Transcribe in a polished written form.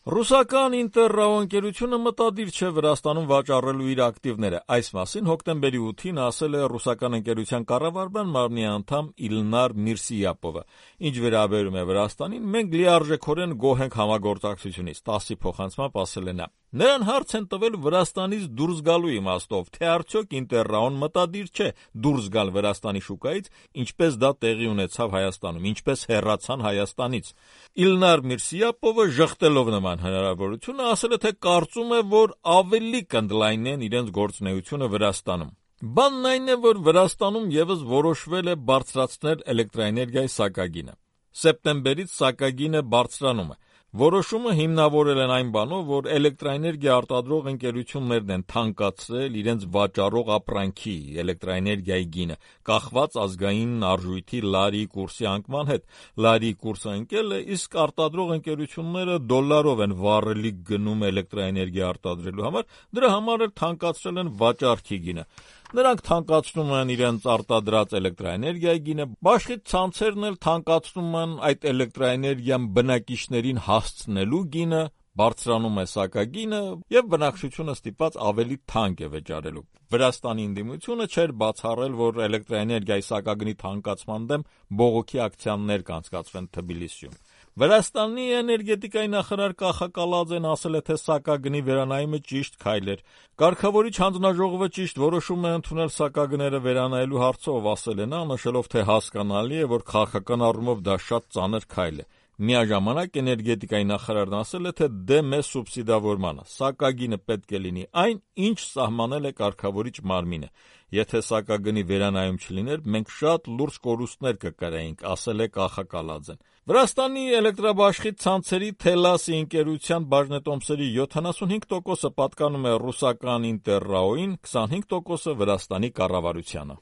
Ռուսական Ինտերրաո ընկերությունը մտադիր չէ Վրաստանում վաճառելու իր ակտիվները։ Այս մասին հոկտեմբերի 8-ին ասել է ռուսական ընկերության կառավարման մարմնի անդամ Իլնար Միրսիապովը։ Ինչ վերաբերում է Վրաստանին, մենք լիարժեքորեն գոհ ենք համագործակցությունից, ՏԱՍՍ-ի փոխանցմամբ ասել է նա։ Նրան հարց են տվել Վրաստանից դուրս գալու իմաստով, թե արդյոք Ինտերրաոն մտադիր չէ դուրս գալ Վրաստանի շուկայից, ինչպես դա տեղի ունեցավ Հայաստանում, ինչպես հեռացան Հայաստանից։ Իլնար Միրսիապովը ժխտելով նման հնարավորությունը ասել է, թե կարծում է, որ ավելի կընդլայնեն իրենց գործունեությունը Վրաստանում։ Բանն այն է, որ Վրաստանում եւս որոշվել է բարձրացնել էլեկտրաէներգիայի սակագինը։ Սեպտեմբերից սակագինը բարձրանում է։ Որոշումը հիմնավորել են այն բանով, որ էլեկտրաէներգիա արտադրող ընկերություններն են թանկացրել իրենց վաճառող ապրանքի էլեկտրաէներգիայի գինը, կախված ազգային արժույթի լարի կուրսի անկման հետ։ Լարի կուրսը ընկել է, իսկ արտադրող ընկերությունները դոլարով են վառելիք գնում էլեկտրաէներգիա արտադրելու համար, դրա համար էլ թանկացրել են վաճառքի գինը։ Նրանք թանկացնում են իրենց արտադրած էլեկտրաէներգիայի գինը, բաշխի ցանցերն էլ թանկացնում են այդ էլեկտրաէներգիան բնակիչներին հասցնելու գինը, բարձրանում է սակագինը եւ բնակչությունը ստիպված ավելի թանկ է վճարելու։ Վրաստանի ընդդիմությունը չէր բացառել, որ էլեկտրաէներգիայի սակագնի թանկացման դեմ բողոքի ակցիաներ կանցկացվեն Թբիլիսիում։ Վրաստանի էներգետիկայի նախարար Կախա Կալաձեն ասել է, թե սակագնի վերանայումը ճիշտ քայլ էր։ Կարգավորիչ հանձնաժողովը ճիշտ որոշում է ընդունել սակագները վերանայելու հարցով, ասել է նա, նշելով, թե հասկանալի է, որ քաղաքական առումով դա շատ ծանր քայլ է։ Միաժամանակ էներգետիկայի նախարարն ասել է, թե դեմ է սուբսիդավորմանը։ Սակագինը պետք է լինի այն, ինչ սահմանել է կարգավորիչ մարմինը։ Եթե սակագնի վերանայում չլիներ, մենք շատ լուրջ կորուստներ կկրեինք, ասել է Կախա Կալաձեն։ Վրաստանի էլեկտրաբաշխի ցանցերի Թելասի ընկերության բաժնետոմսերի 75%-ը պատկանում է ռուսական Ինտերրաոին, 25%-ը Վրաստանի կառավարությանը։